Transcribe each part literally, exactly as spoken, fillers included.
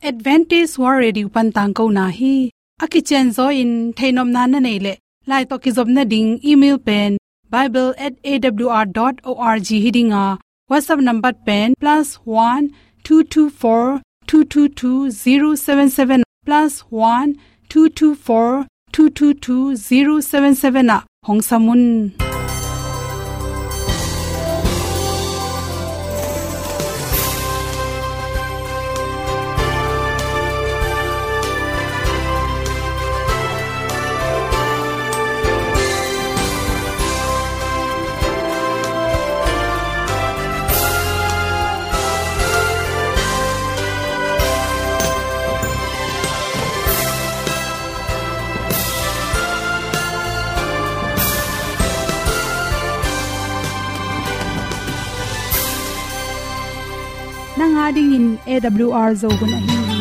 Adventist World Radio pan tangkona hi. A kicianzaw in theihnopna na neih leh, lai tawh kizopna ding email pen bible at A W R dot org hi ding a, WhatsApp number pen plus one two two four two two two zero seven seven, plus one two two four two two two zero seven seven ah hong sam un. Nang a dingin A W R Zo hun ahi hi.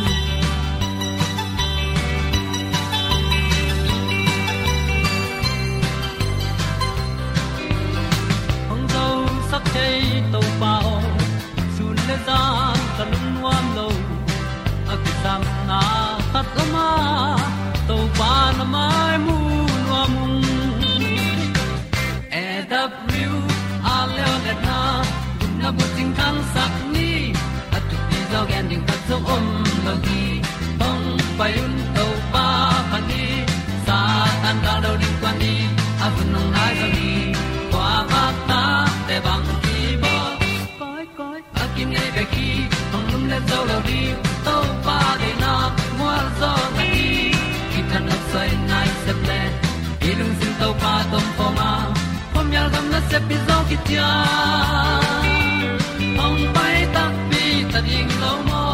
Hong zosak thei Topa aw, sun le zan ka lungnuam lo. A kisapna khat om a, Topa na mai mu nuam ung. A W R Zo hun a, gupna bucing thangsak ni. A thupi zaw gen ding khat zong om lo hi. Hong pai un Topa phat ni. Satan gal do ding kuan ni. A hun hong nai zaw ni. Kua bak ta te bang ki bawl. Koi, koi. A kinei bek hi, hong lumlet zo lo ding. Topa deihna mual zaw na hi. Kithanuam soi nai sep le, i lungsim Topa tawh om khawm a, khuamial gam nasep hi zaw kician. Hong pai takpi ta ding lo maw?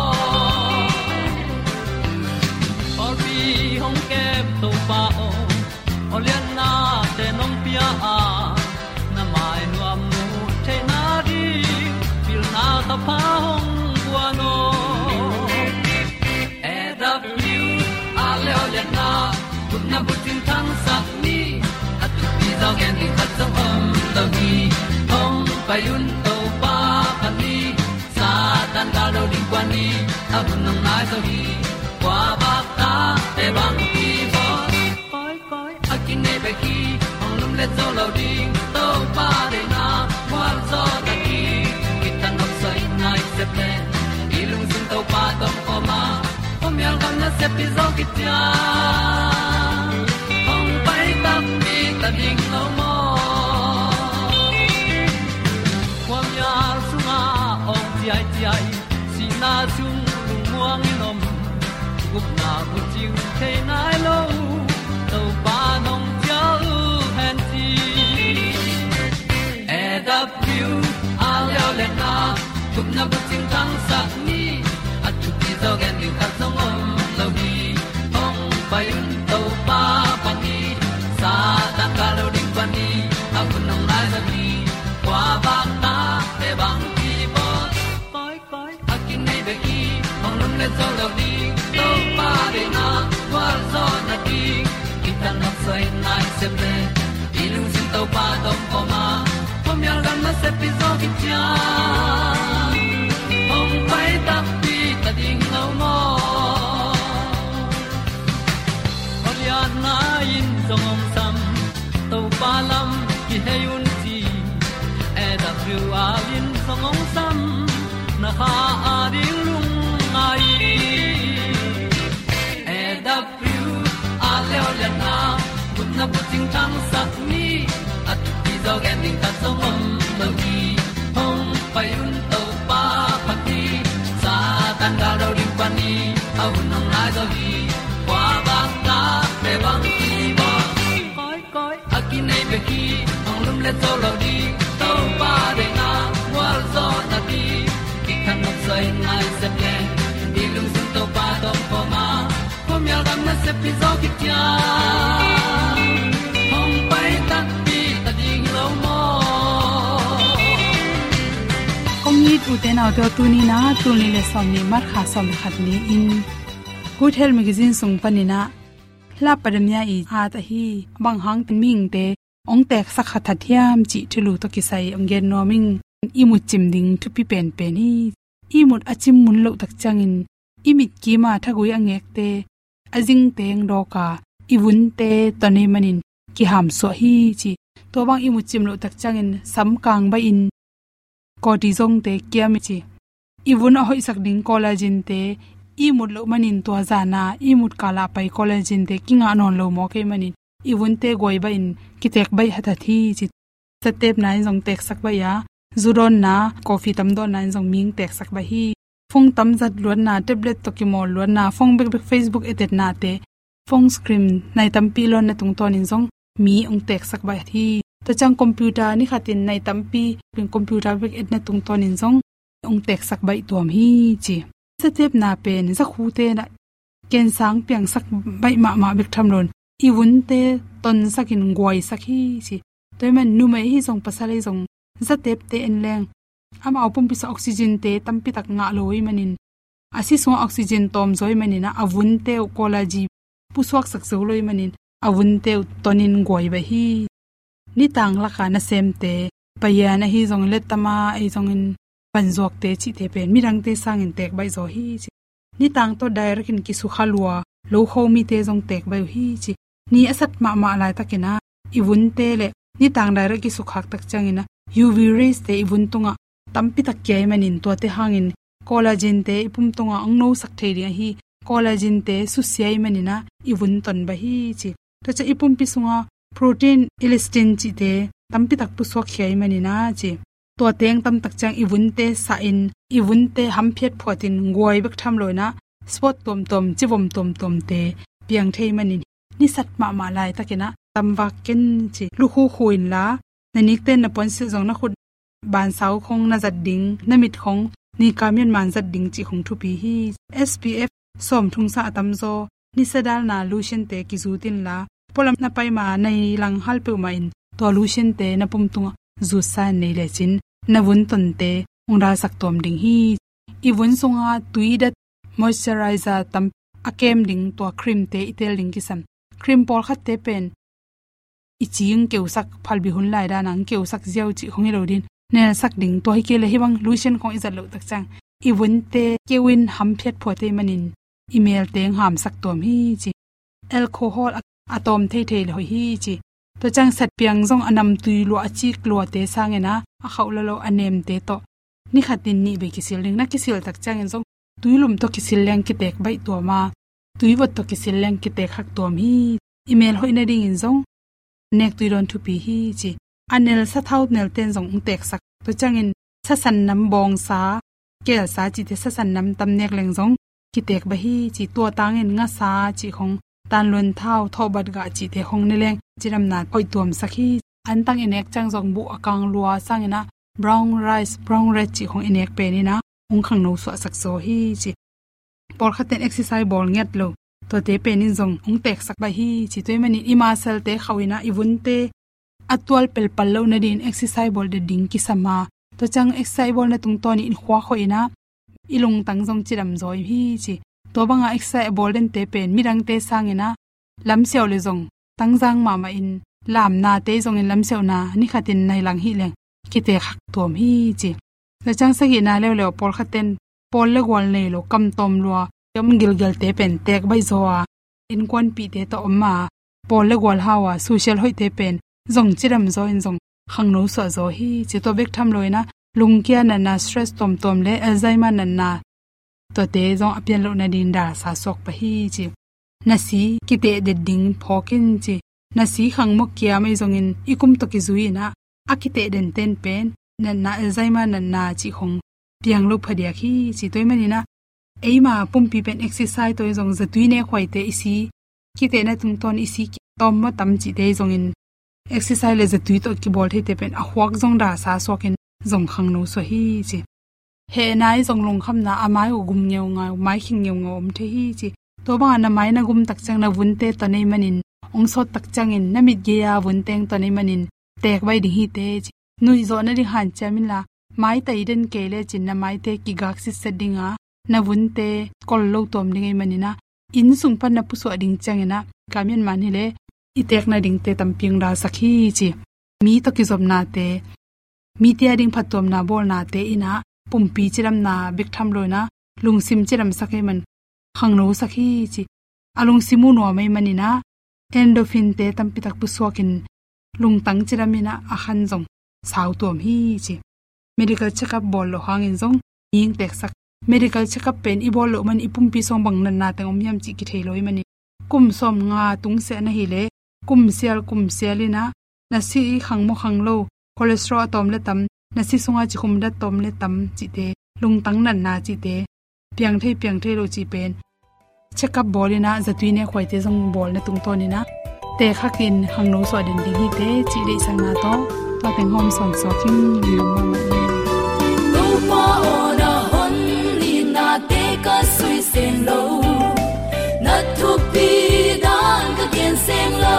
Pawlpi hong kem Topa aw, aw lianna te nong pia a, na mai nuam mu theihna ding, pilna thapha hong guan aw. A W R Zo hun a, gupna bucing thangsak ni. A thupi zaw gen ding khat zong om lo hi. Hong pai un Topa phat ni. Satan gal do ding kuan ni. A hun hong nai zaw hi. Kua bak ta te bang ki bawl. Koi, koi. A kinei bek hi, hong lumlet zo lo ding. Topa deihna mual zaw na hi. Kithanuam soi nai sep le, i lungsim Topa tawh om khawm a, khuamial gam nasep hi zaw kician. Hong pai takpi ta ding lo maw? Khuamial sungah awng ciaiciai, sihna sung lungmuang in om, gupna bucing thei nai lo, Topa nong cial hen ci. A W R Zo hun a, gupna bucing thangsak ni. A thupi zaw gen ding khat zong om lo hi. Hong pai un Topa phat ni. Satan gal do ding kuan ni. A hun hong nai zaw hi. Kua bak ta te bang ki bawl. Koi, koi. A kinei bek hi, hong lumlet zo lo ding. Topa deihna mual zaw na hi. Kithanuam soi nai sep le, i lungsim Topa tawh om khawm a, khuamial gam nasep hi zaw kician. Hong pai takpi ta ding lo maw? Aw lianna in zong hong sam, Topa lam kihei un ci. A W R in zong hong sam, na kha a ding lungngai. A W R Zo hun a, gupna bucing thangsak ni. A thupi zaw gen ding khat zong om lo hi. Hong pai un Topa phat ni. Satan gal do ding kuan ni. A hun hong nai zaw hi. Kua bak ta te bang ki bawl. Koi, koi. A kinei bek hi, hong lumlet zo lo ding. Topa deihna mual zaw na hi. Kithanuam soi nai sep le, i lungsim Topa tawh om khawm a, khuamial gam nasep hi zaw kician. Hong pai takpi ta ding lo maw? Kong it u te nau te aw, tuni in a, tul nih le sawmnih, March kha sawm le khat ni-in Good Health Magazine sung panin a, Hla Padamia i at ahi, bang hang ten mihingte hong teeksak kha that hiam cih thulu tawh kisai hong gen nuam ing. I mut cim ding thupi penpen hi. I mut a cim mun loh tak ciangin i mit kima thagui a ngekte a zingteng dawka i vunte ton ei manin kihamsuah hi ci. Tua bang i mut cim loh tak ciangin samkang bahin kawti zongte kiam i ci. I vun a hoihsak ding collagen-te i mut loh manin tua zana i mut kala pai collagen-te kingah nawn lo maw kei manin i vunte guai bahin kitek baih hathat hi ci. Zatepna in zong teksak baih a, zu dawnna, coffee tam dawnna in zong ming teksak baih hi. Phone tam zat luatna, tablet tawh kimawl luatna, phone bekbek Facebook etetnate, phone screen nai tampi lawnna tungtawnin zong mi hong teksak baih hi. Tua ciang computer ni khatin nai tampi computer bek etna tungtawnin zong hong teksak baih tuam hi ci. Zatepna pen zakhute na kensang piangsak baih mahmah bek tham loin i vunte tonsakin guaisak hi ci. Tua hi man numei hi zong pasal hi zong zatepte en leng amau pumpi sungah oxygen-te tampitak ngah lo hi manin a si sungah oxygen tawm zaw hi manin a vunte uh collagen pusuaksak zo lo hi manin a vunte uh tonin guai baih hi. Nitang laka nasemte, payan ahi zongin lettama ahi zongin panzuakte cihte pen midangte sangin tek baih zaw hi ci. Nitang tawh direct in kisukha lua lo kho mite zong tek baih uh hi ci. Ni a sat mahmah laitakin a i vunte le nitang direct kisukhak tak ciangin a U V rays-te i vun tungah tampitak kia hi manin tuate hangin collagen-te i pum tungah hong nosak thei ding ahi. Collagen-te susia hi manin a i vun ton baih hi ci. Tua ciang i pumpi sunga protein, elastin cihte tampitak pusuak khia hi manin a ci. Tua teng tamtak ciang i vunte sahin i vunte hamphiat phuatin guai bek tham loin a spot tuamtuam, civom tuamtuamte piang thei manin ni sat mahmah laitakin a tamvak ken ci. Lukhu khu inla na nikten na puansilh zong na khut bansau khong na zat ding, na mit khong nika mianman zat ding cih khong thupi hi. S P F sawm thungsa a tamzaw nisa dalna lotion-te kizut inla pualam na paima nai lang hal peuhmah in tua lotion-te na pum tungah zutsa in nei lecin na vun tonte hong dalsak tuam ding hi. I vun sunga tui dat moisturizer tam a kem ding tua cream-te i tel ding kisam. Cream pawlkhatte pen i ci hong keusak, phalbi hun lai dana hong keusak ziau cih khong hi lo ding, nelsak ding tua hi kei le hih bang lotion khong i zat loh tak ciang i vunte keuin hamphiat phuat hi manin i melte hong hamsak tuam hi ci. Alcohol a, a tawm theithei le hoih hi ci. Tua ciang satpiang zong a namtui lua a cik luate sangin a, a khauh lalo a nemte tawh ni khatin nih bei kisil ding, na kisil tak ciangin zong tuilum tawh kisil leng kitek baih tuam a, tuivot tawh kisil leng kitek hak tuam hi. I mel hoih nadingin zong nek tui dawn thupi hi ci. A nel sathau nelten zong hong teksak. Tua ciangin sasan nam bawngsa, kelsa cihte sasan nam tam nek leng zong kitek baih hi ci. Tua tangin ngasa cih khong, tanluan thau, thawhbat gah cihte khong ne leng cidamna hoih tuamsak hi. Antang i nek ciang zong buh a kang lua sangin a brown rice, brown red cih khong i nek penin a hong khangno suahsak zaw hi ci. Pawlkhatten exercise bawl ngiat lo, tuate penin zong hong teksak baih hi ci. Tua hi manin i muscle-te khauhin a i vunte a tual pelpal loh nadingin exercise bawl det ding kisam a, tua ciang exercise bawlna tungtawnin i khuak hoihin a i lungtang zong cidam zaw hi ci. Tua banga exercise a bawl dente pen midangte sangin a lamsiau le zong tangzang mahmah in, lamnate zongin lamsiauna ni khatin nai lang hi leng kitek hak tuam hi ci. Tua ciang sagihna leuleu pawlkhatten pawl le gual nei lo, kam tawm lua, kam gilgelte pen tek baih zaw a, innkuanpihte tawh om a, pawl le gual hau a, social hoihte pen zong cidam zaw in zong khangno suah zaw hi ci. Tua bek tham loin a lungkia natna, stress tuamtuam le Alzheimer natna, tuate zong a pian loh nadingin dalsa suak pah hi ci. Nasi kiteh det ding phawk in ci. Nasi khangmok kiam ahi zongin i kum tawh kizui in a, a kiteh denten pen natna, Alzheimer natna cih khong piang lo phadiak hi ci. Tua hi manin a eima pumpi pen exercise tawh in zong zatui nekhuaite i si kitehna tungtawn i si tawm maw tam cihte ahi zongin exercise le zatui tawh kibawl theite pen a khuak zong dalsa suakin zong khangno suah hi ci. Hehna ahi zong lungkhamna, a mai uh gum ngeungau, mai khing ngeungau om thei hi ci. Tua banga na mai na gum tak ciang na vunte ton ei manin, hong sawt tak ciangin na mit gei-a vunte hong ton ei manin tek baih ding hi teh ci. Nuihzawh nading hanciam inla, mai tai den kei lecin na maite kigak sitset ding a, na vunte kol lo tuam ding ei manin a, inn sung pan na pusuah ding ciangin a, ka mianman hi le i tek nadingte tampi hong dalsak hi ci. Mi tawh kizopnate, mite a ding phattuamna bawlnate in a pumpi cidamna bek tham loin a lungsim cidamsak ei man khangnosak hi ci. A lungsim uh nuam ahih manin ah endorphin-te tampi tak pusuakin lungtang cidam in ah a khan zong sautuam hi ci. Medical check-up bawl loh hangin zong mi hing teksak. Medical check-up pen i bawl loh man i pumpi sung bang natna teng om hiam cih kithei lo ahih manin kum sawmnga tungsiah na hih leh kum sial kum sial in ah na si khang maw khang lo, cholesterol a tawm le tam, na si sungah cikhum dat tawm le tam cihte, lungtang natna cihte, piang thei piang thei lo cih pen check-up bawl in ah zatui nekhuaite zong bawlna tungtawn in ah tekhak in khangno suah den ding hi teh cih deihsakna tawh tua teng hawm sawnsuak hi. Topa aw, na hon itnate ka sui seng lo, na thupi dan ka gen seng lo.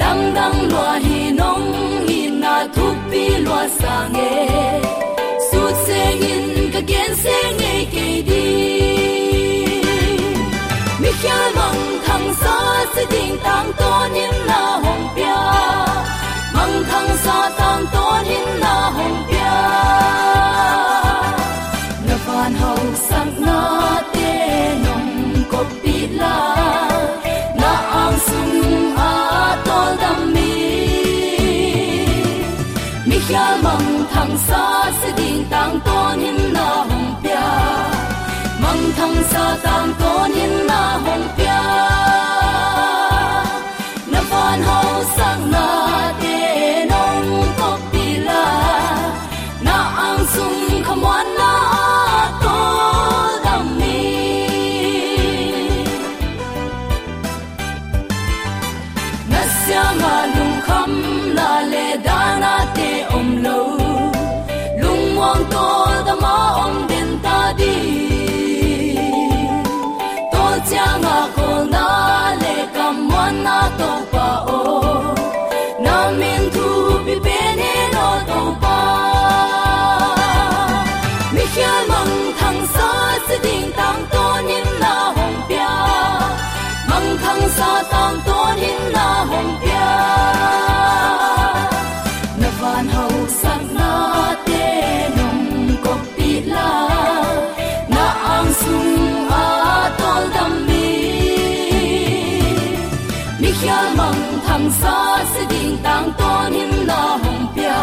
Lamdang lua hi, nong itna thupi lua sang e, sut sengin ka gen seng ngei kei ding. Mikhial mangthangsa si ding tangtawn in na hong pia, mangthangsa tangtawn in na hong pia. Na van hausaknate nong koppih la, na ang sung a tawldam mi, mikhial mangthangsa si ding tangtawn in na hong pia, mangthangsa tangtawn in na hong pia. Na van hausaknate nong koppih la, na ang sung khamuanna a tawldam mi, na siangah lungkham la le danate om lo, lungmuang tawldam a om den ta ding. Tawl ciangah kawlna le kammuanna Topa aw, na min thupi pen hen aw Topa. Mikhial mangthangsa si ding tangtawn in na hong pia, mangthangsa tangtawn in na hong pia. Na van hausaknate nong koppih la, na ang sung a tawldam mi, mikhial mangthangsa si ding tangtawn in na hong pia,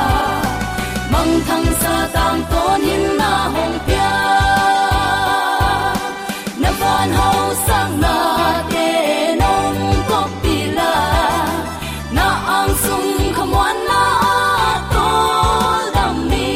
mangthangsa tangtawn in na hong pia. Na van hausaknate nong koppih la, na ang sung khamuanna a tawldam mi.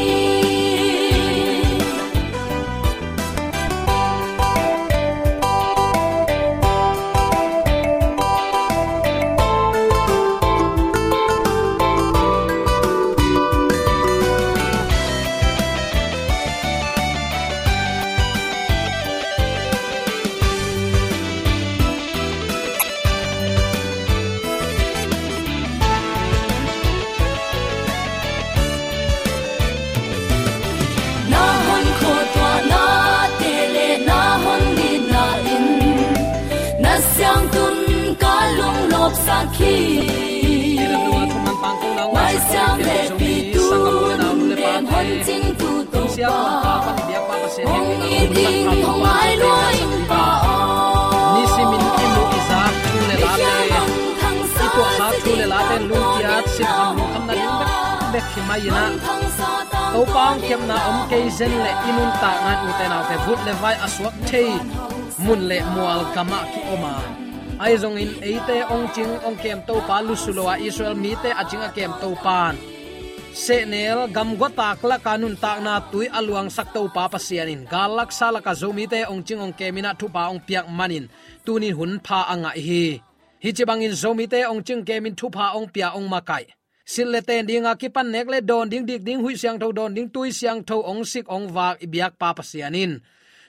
Na hon khuatuahna te le na hon nitna in na siangtun ka lunglawpsak hi. Mai siang le pi tu nun den hon cingtu Topa, hong it ding hong ngai lua ing Pa aw. Nisimin i muh i zak thu le late, i tuahkhak thu le late lungkiat, sinkham lungkhamna ding bekbek hi mai in ah, Topa hong kepna om kei zen leh i nuntakna in, ute naute, vut le vai a suak thei mun le mual gamah ki-om a. Ahi zongin eite hong cing hong kem Topa, lusu lo a Israel mite a cing a kem Topa'n sehnel gamguatak laka nuntakna tui a luangsak Topa Pasian in gal laksa laka Zomite hong cing hong kem in ah thupha hong piak manin tuni-in hun pha a ngah hi. Hih ci bangin Zomite hong cing kemin thupha hong pia, hong makaih, silh le ten dinga kipan nek le dawn ding, dik ding, huih siangtho dawn ding, tui siangtho hong sik hong vak i biakpa Pasian in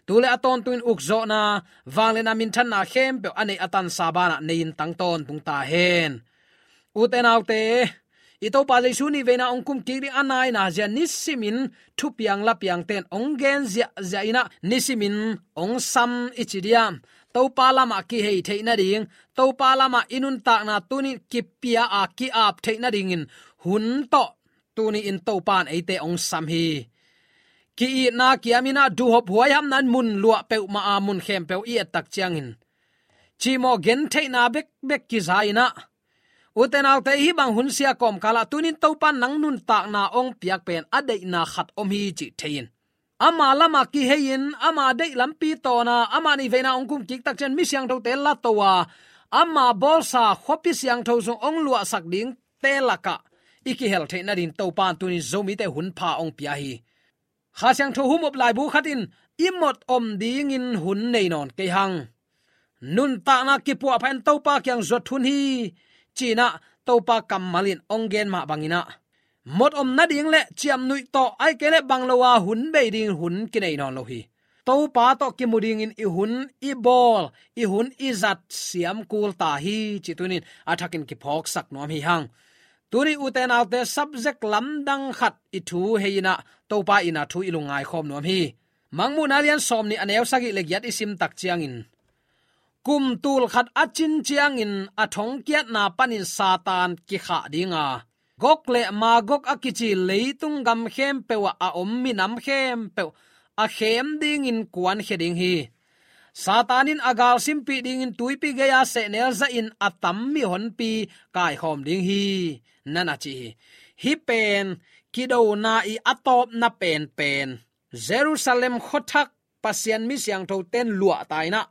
tu le a tawntungin ukzawhna, vangliatna, minthanna khempeuh a neih a tansa banah nei-in tang tawntung ta hen. Ute naute, i Topa Jesu nih veina hong kum kik ding a naina zia nisimin thupiang lapiangte'n hong gen ziahziah in ah, nisimin hong sam i ci diam? Topa lamah kihei theih nading, Topa lamah i nuntakna tuni-in kipia a ki-ap theih nadingin hun tawh tuni-in Topa'n eite hong sam hi. ki-itna kiamin ah duhhop huaihamna in mun luah peuhmah a mun khempeuh i et tak ciangin cimawh gentheihna bekbek kiza in ah, ute naute, hih bang hun sia kawmkal ah tunin Topa nang nuntakna hong piak pen a deihna khat om hi cih thei in, ama lamah kihei in, ama deih lampi tawn a, ama neihveina hong kum kik tak ciang mi siangthote la to a, ama bawlsa khuapi siangtho sung hong luahsak dingte lakah i kihel theih nading Topa in tunin Zomite hun pha hong pia hi. Kha Siangtho humop laibu khat in i mot om dingin hun nei nawn kei hang. Nuntakna kipuahpha in Topa kiang zuat hun hi, ci-in ah Topa kammal in hong gen mah bangin ah, mot om nading le ciamnuih tawh, ahih kei leh bang lo a hun bei dingin hun kinei nawn lo hi. Topa tawh kimu dingin i hun, i bawl, i hun i zat siam kul ta hi, cih tunin a thakin kiphawksak nuam hi hang. Tuni ute naute, subject lamdang khat i thu hei in ah Topa in a thu i lungngai khawm nuam hi. Mangmuhna lian sawmnih a neu sagih le giat i sim tak ciangin, kum tul khat a cin ciangin a thongkiatna panin Satan kikhah ding a, Gog le Magog a kici leitung gam khempeuh ah a om minam khempeuh a khem dingin kuankhia ding hi. Satan in a gal simpih dingin tuipi gei-a sehnel zahin a tam mihonpi kaikhawm ding hi, na na ci hi. Hih pen kidona i a tawpna penpen, Jerusalem khuathak Pasian mi siangthote in luah ta in ah,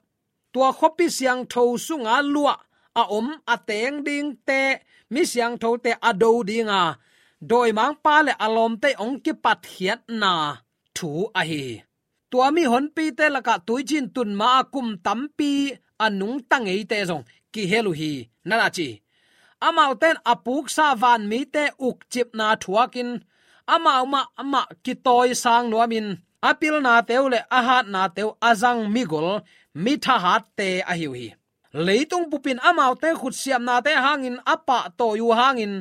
tua khuapi siangtho sunga luah a om a teng dingte, mi siangthote a do ding a, dawimangpa le a lawmte hong kipatkhiatna thu ahi hi. Tua mihonpite lakah tuiciin tun ma-a kum tampi a nungta ngeite zong kihel uh hi, na na ci hi. Amaute in a puksa vanmite ukcipna thuakin, amau mahmah kitawisang nuamin, a pilnate uh le a hatnate uh a zang migol, mi thahatte ahi uh hi. Leitung bupin amaute khutsiamnate hangin a pahtawi uh hangin,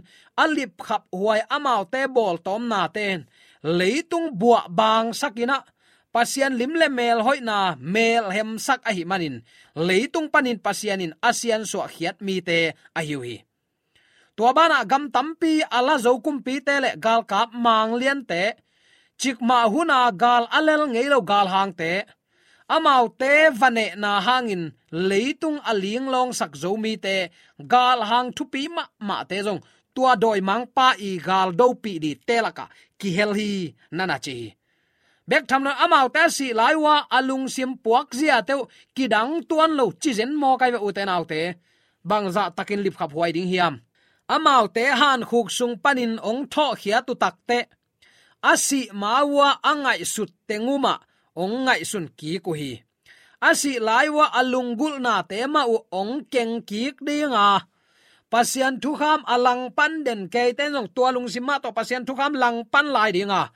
a lipkhaphuai amaute bawltawmnate in leitung buahbangsak in ah, Pasian lim le melhoihna melhemsak ahih manin, leitung panin Pasian in a siansuahkhiat mite ahi uh hi. Tua banah gam tampi a la zo kumpite le galkap mangliante, cikmah huna gal a lel ngei lo galhangte, amaute va nehna hangin leitung a linglawngsak zo mite, galhang thupi mahmahte zong tua dawimangpa i gal dopih dingte lakah kihel hi, na na ci hi. Bek tham lo in amaute a sih lai uh a a lungsim puakziate uh kidang tuan lo ci zen maw kai ve, ute naute. Bangzah takin lipkhaphuai ding hiam? Amaute hankhuk sung panin hong thawhkhiat uh takteh, a sih ma uh a a ngaihsut teng uh mah hong ngaihsun kik uh hi. A sih lai uh a a lunggulhnate mah uh hong keng kik ding a, Pasian thukham a langpan den keite in zong tua lungsim mah tawh Pasian thukham langpan lai ding a,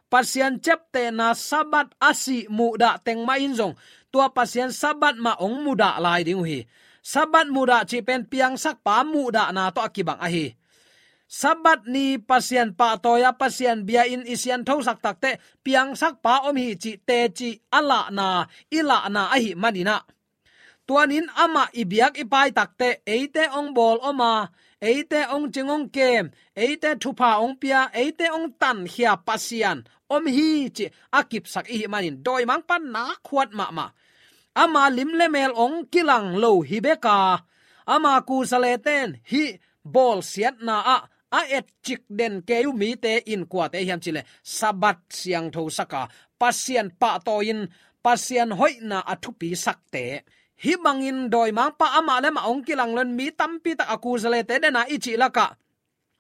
Pasian ciaptehna Sabbath a sih muhdah teng mah in zong tua Pasian Sabbath mah hong mudah lai ding uh hi. Sabbath mudah cih pen piangsakpa muhdahna tawh a kibang ahi. Sabbath ni Pasian pahtawi a, Pasian bia-in i sianthosak takteh, piangsakpa om hi cih teci a lahna, i lahna ahih manin ah, tuanin amah i biak i pai takteh, eite hong bawl om a, eite hong cing hong kem, eite thupha hong pia, eite hong tankhia Pasian om hi cih a kipsak i hih manin, dawimangpa nakhuat mahmah. Ama lim le mel hong kilang lo hi bek a, ama kusalete in hih bawlsiatna ah a etcik den kei uh mite in kuate hiam cih leh, Sabbath siangthosak a, Pasian pahtawi-in Pasian hoihna a thupisakte. Hih bangin dawimangpa amah le amah hong kilang lo in mi tampi tak a kusalete den a i cih lakah,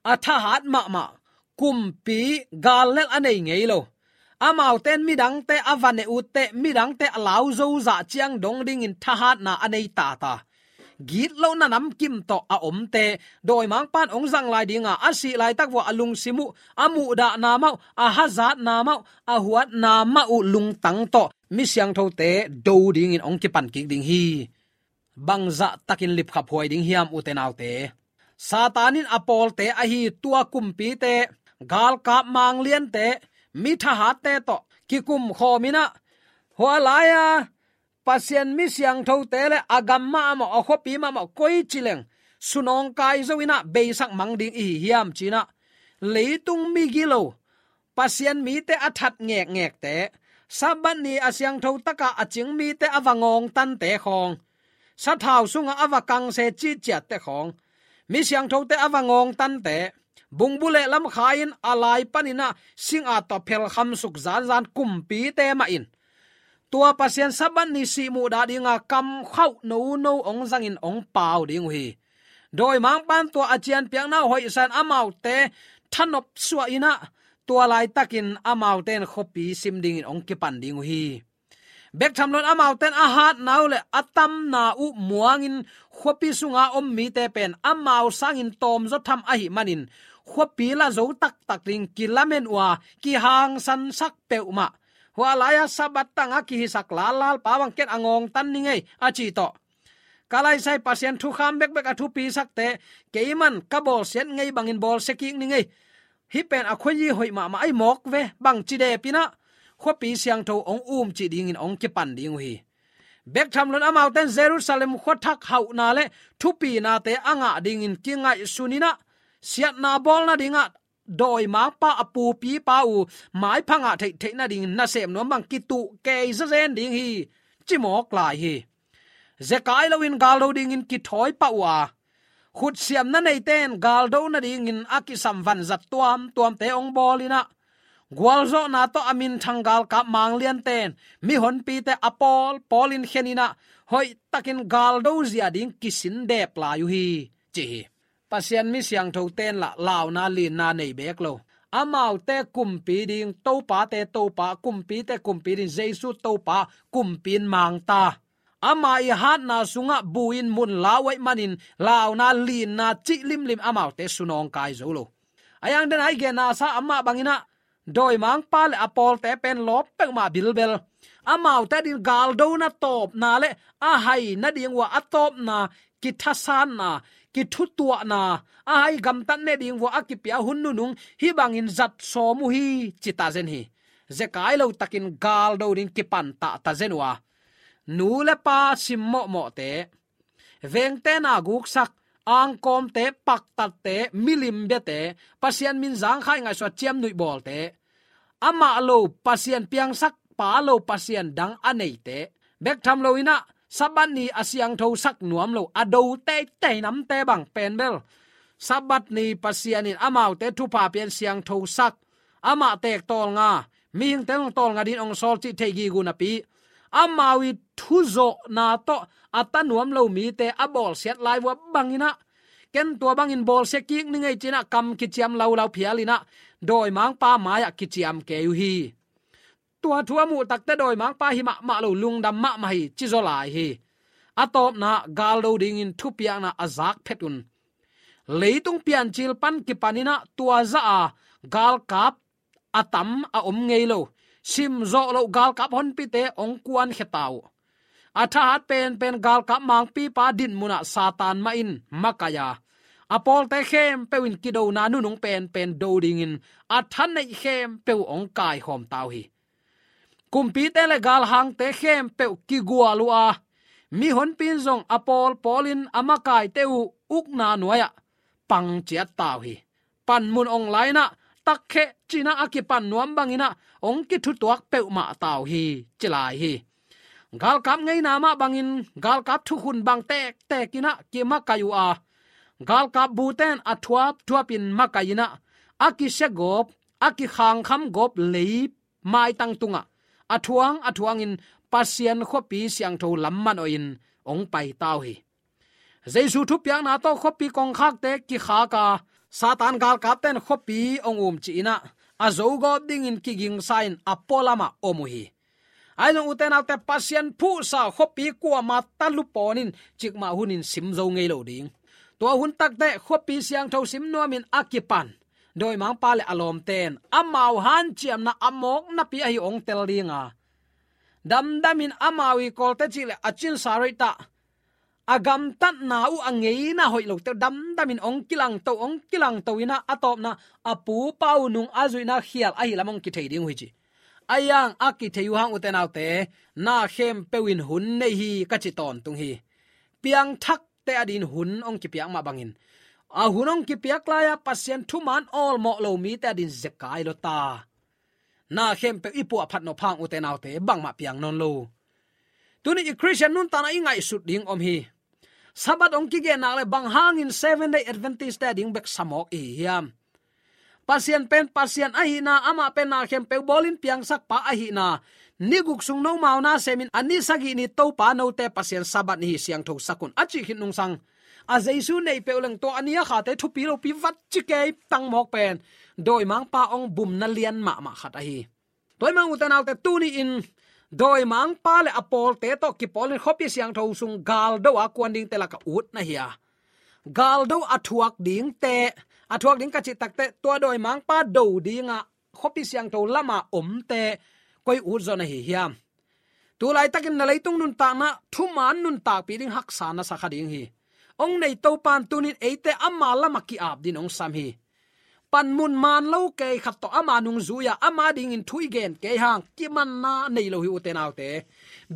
a thahat mahmah, kumpi gal lel a nei ngei lo. Amaute in midangte a va neh utteh, midangte a lau zo zah ciang dong dingin thahatna a nei tata, gitlohna namkim tawh a omte, dawimangpa in hong zang lai ding a, a sih laitak uh a lungsim uh, a muhdahna mah uh, a hazatna mah uh, a huatna mah uh lungtang tawh mi siangthote do dingin hong kipan kik ding hi. Bangzah takin lipkhaphuai ding hiam, ute naute? Satan in a pawlte ahi tua kumpite, galkap mangliante, mi thahatte tawh kikumkhawm in ah, hua lai-a Pasian mi siangthote le a gam mahmah, a khuapi mahmah, koici leng sunawngkai zo in ah beisak mang ding i hi hiam ci-in ah, leitung migilo, Pasian mite a that ngekngekte, Sabbath ni a siangtho taka a cing mite a va ngawngtante khawng, sathau sungah a va kangse cihciatte khawng, mi siangthote a va ngawngtante, bungbu leh lamkhai-in a lai paninah singa tawh phelkham suk zanzan kumpite mah in tua Pasian Sabbath ni sihmuhdah dinga kamkhauh nono hong zangin hong pau ding uh hi. Dawimangpa'n tua a cianpiakna uh hoihsa-in amaute thanop suahinah tua laitakin amaute in khuapi sim dingin hong kipan ding uh hi. Bek tham loin amaute in a hatna uh leh a tamna uh muangin khuapi sunga om mite pen amau sangin tawmzaw tham ahih manin khuapi la zo taktak ding kilamen uh a, kihangsansak peuhmah. Hua lai-a Sabbath tangah kihisak lallalpa bang ken a ngawngtan ning ei a cih tawh, ka laisai Pasian thukham bekbek a thupisakte, keiman ka bawlsiat ngei bangin bawlsia kik ning ei. Hih pen a khuayi hoih mahmah ahi mawk ve bang ci depinah khuapi siangtho hong umcih dingin hong kipan ding uh hi. Bek tham loin amaute in Jerusalem khuathak hauhna leh thupinate a ngah dingin kingaihsuninah siatna bawl nadingah dawimangpa a pupipa uh maipha ngah theihtheih nadingin nasem nuam bang kituh kei zazen ding hi, ci mawk lai hi. Zekai loin galdo dingin kithawi pah uh a, khutsiamna neite in galdo nadingin a kisam vanzat tuamtuamte hong bawlinah gualzawhna tawh a minthang galkap mangliante in mihonpite a pawlpawlin kheninah hoihtakin galdo zia ding kisin dep lai uh hi, ci hi. Pasian mi siangthote in lah launa linna nei bek lo. Amaute kumpi ding Topate Topa, kumpite kumpi ding Jesu Topa kumpi in mangta. Ama ii hatna sungah buin mun lau ahih manin launa linna cih limlim amaute sunawngkai zo lo. A yang den ai genna sa amah banginah dawimangpa leh a pawlte pen lawp peuhmah bilbel. Amaute ding galdona tawpna leh a hai nading uh a tawpna, kithasanna, kithutuahna, a hai gamtat ne ding uh a kipia hun nunung hih bangin zat sawm uh hi, ci tazen hi. Zekai lo takin galdo ding kipan tahtah zen uh a, nu le pa sim mawhmawhte, vengte na guksak, angkawmte, paktatte, milim biate, Pasian min zangkhai ngaihsua ciamnuih bawlte, amah lo Pasian piangsak, pa lo Pasian dang a neite, bek tham loinah Sabbath ni a siangthosak nuam lo, a do teitei namte bang pen bel Sabbath ni Pasian in amaute thupha pian siangthosak, amah teek tawlnga, mihingte zong tawlnga dingin hong sawl cih thei gige uh napi, amau ii thuzawhna tawh a ta nuam lo mite a bawlsiat lai uh a banginah, ken tua bangin bawlsia kik ning ei cinah kam kiciam laulau phialinah dawimangpa mai-ah kiciam kei uh hi. Tua thu a muh takte dawimangpa hi mahmah lo, lungdam mahmah hi, ci zaw lai hi. A tawpna, galdo dingin thupiakna a zak phet un. Leitung piancil pan kipaninah tua zah a galkap a tam a om ngei lo, simzawh loh galkap honpite hong kuankhia ta uh. A thahat penpen galkap mangpipa dinmun ah Satan mah in makaih a, a pawlte khempeuh in kidona nunung penpen do dingin a thaneih khempeuh hong kaikhawm ta uh hi. Kumpite le galhangte khempeuh kigual uh a, mihonpi in zong a pawlpawlin a makaite uh ukna nuai-ah pangciat ta uh hi. Panmun ong lai-inah, takkheh cinah a kipan nuam banginah hong kithutuak peuhmah ta uh hi, ci lai hi. Galkap ngeina mah bangin galkap thukhun bang tektek inah kimakaih uh a, galkap bute in a thuapthuapin makaih inah, a kisia gawp, a kikhangkham gawp lei maitang tungah a thuang a thuangin Pasian khuapi siangtho lam manawhin hong pai ta uh hi. Jesu thupiakna tawh khuapi kongkhakte kikhak a, Satan galkapte in khuapi hong umcih inah a zogawp dingin kigingsa-in a pualamah om uh hi. Ahi zong ute naute, Pasian phuhsa khuapi kuamah ta lupawn in cikmah hunin sim zo ngei lo ding. Tua hun takteh khuapi siangtho sim nuamin a kipan dawimangpa le a lawmte in amau hanciamna a mawk napi ahi hong tel ding a, damdamin amau ii kawlte cih le a cinsa rate ah a gamtatna uh a ngeina hoih lote damdamin hong kilangto, hong kilangto inah a tawpna a pupa uh nung a zuihna khial ahi lam hong kithei ding uh hi ci. Ahi hang a kithei uh hang ute naute, na khempeuh in hun nei hi ka ci tawntung hi. Piangthakte adin hun hong kipiak mah bangin, a hun hong kipiak lai-a Pasian thuman awlmawh lo mite adin zekai lo ta. Na khempeuh i puahphat nop hang, ute naute, bangmah piang nawn lo. Tuni i Khristian nuntakna i ngaihsut ding om hi. Sabbath hong kigen nak leh bang hangin Seventh Day Adventist-te ading bek sa mawk i hi hiam? Pasian pen Pasian ahihna, amah pen na khempeuh bawlin piangsak pa ahihna, ni guk sung nomau na semin a ni sagih ni Topa note Pasian Sabbath ni hi, siangtho sak un, a cih khit nungsang, a Jesu neih peuh leng tua a ni a khate thupi lopi vat ci kei tang mawk pen dawimangpa hong bumna lian mahmah khat ahi. Tua ahih manin ute naute, tuni-in dawimangpa le a pawlte tawh kipawlin khuapi siangtho sung galdo a kuan dingte lakah ut na hi a, galdo a thuak dingte, a thuak ding ka cih takteh tua dawimangpa do dingah khuapi siangtho lama omte koi ut zaw na hi hiam? Tulaitakin na leitung nuntakna thuman nuntakpih ding haksa na sa kha ding hi. Hong nei Topa in tuni-in eite ama lamah ki-ap dingin hong sam hi. Panmun man lo kei khat tawh ama nungzui-a, ama dingin thu i gen kei hang kimanna nei lo hi, ute naute.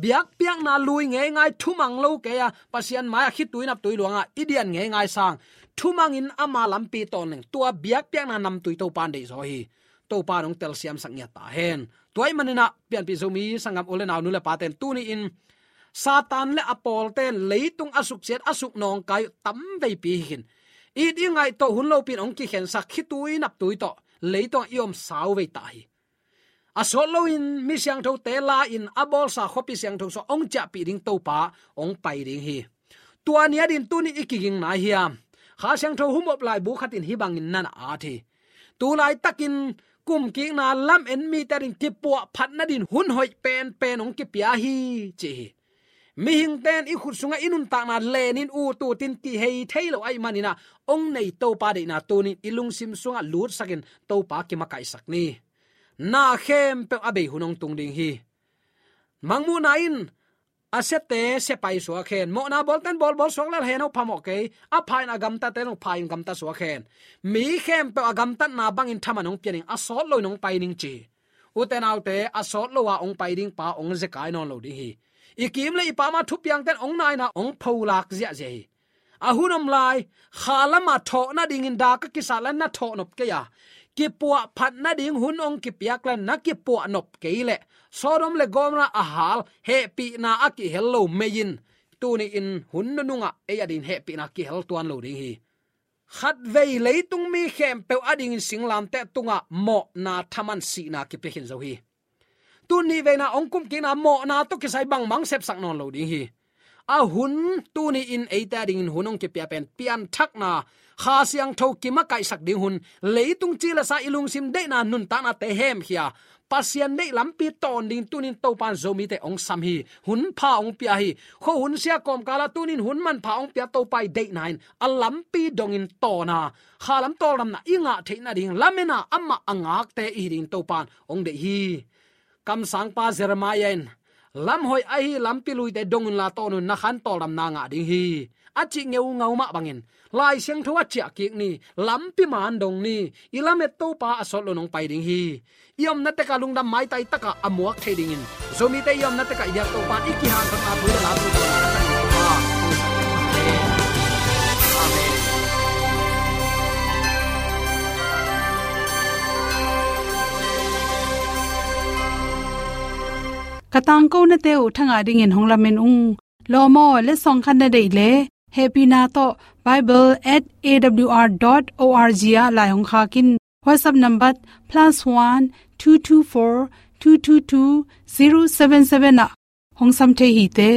Biakpiakna lui ngeingai, thumang lo kei-a, Pasian mai-ah khitui naptui luangah i dian ngeingai sang, thumangin ama lampi tawn leng tua biakpiakna namtui Topa in deihzaw hi. Topa in hong telsiamsak ngiat ta hen. Tua ahih maninah pianpih Zomi sanggam u le nau, nu le pate'n tuni-in Satan le a pawlte'n leitung a suksiat, a suknawngkai uh tamveipi hi khin. It i ngaih tawh hun lopi-in hong kikhensak, khitui naptui tawh leitungah i om sauvei ta hi. A sawt loin mi siangthote la-in a bawlsa khuapi siangtho sungah hong ciahpih ding Topa hong pai ding hi. Tua ni adingin tuni i kiging nai hiam? Kha Siangtho humop laibu khat in hih bangin na na at hi. Tulaitakin kumkikna lamen mite adingin kipuahphat nadingin hun hoih penpen hong kipia hi, ci hi. Mihingte'n i khut sungah i nuntakna lenin ututin kihei thei lo ahih maninah hong nei Topa deihna tuni-in i lungsim sungah lutsakin Topa kimakaihsak ni. Na khempeuh a bei hun hong tung ding hi. Mangmuhna in a siate sia pai suak hen. Mawhna bawlte'n bawlbawl suak lel hen, aw phamawh kei. A pha-in a gamtate'n aw pha-in gamta suak hen. Mi khempeuh a gamtatna bangin thaman hong pia ning, a sawt loin hong pai ning, ci hi. Ute naute, a sawt lo-a hong pai ding pa hong zekai nawn lo ding hi. I kim le i pam-a thupiangte'n hong naina hong pholak ziahziah hi. A hun om lai, kha lamah thawh nadingin dak a kisat lai na thawh nop kei a, kipuahphat nading hun hong kipiak lai na kipuah nop kei leh Sodom le Gomorrah a hal hehpihna a kihel lo mei in tuni-in hun nunungah ei adingin hehpihna kihel tuan lo ding hi. Khatvei leitung mi khempeuh adingin singlamteh tungah mawhna thaman sihna kipia khin zo hi. Tun nihveina hong kumkikna mawhna tawh kisai bangmah sepsak nawn lo ding hi. A hun, tuni-in eite adingin hun hong kipia pen pianthakna, Kha Siangtho kimakaihsak ding hun, leitung cilesa i lungsim deihna nuntaknate hemkhia Pasian deih lampi tawn ding tuni-in Topa in Zomite hong sam hi. Hun pha hong pia hi. Khuahun sia kawmkalah tuni-in hun manpha hong pia Topa i deihna in a lampi dongin tawn a, kha lam tawldamna i ngah theih nading lamena amah a ngakte i hi dingin Topa in hong deih hi. Kamsangpa Jeremiah in, lam hoih ahi lampi luite dong unla tawn un, na khan tawldamna ngah ding hi, a cih ngeungau mah bangin Lai Siangtho a ciahkik ni, lampi man dong ni. I lamet Topa a sawt lo nong pai ding hi. I omna tekah lungdam maitai takah a muak thei dingin Zomite i omna tekah i biak Topa in i kihanthawnna thu le la thu tawh na ka tang Topa. Amen. Ka tangkonate uh thangah dingin hong lamen ung. Lawm aw, letsong khat na deih leh hehpihna tawh bible at A W R dot O R G ah lai hong khak in. WhatsApp number plus one two two four two two two zero seven seven ah hong sam thei hi te.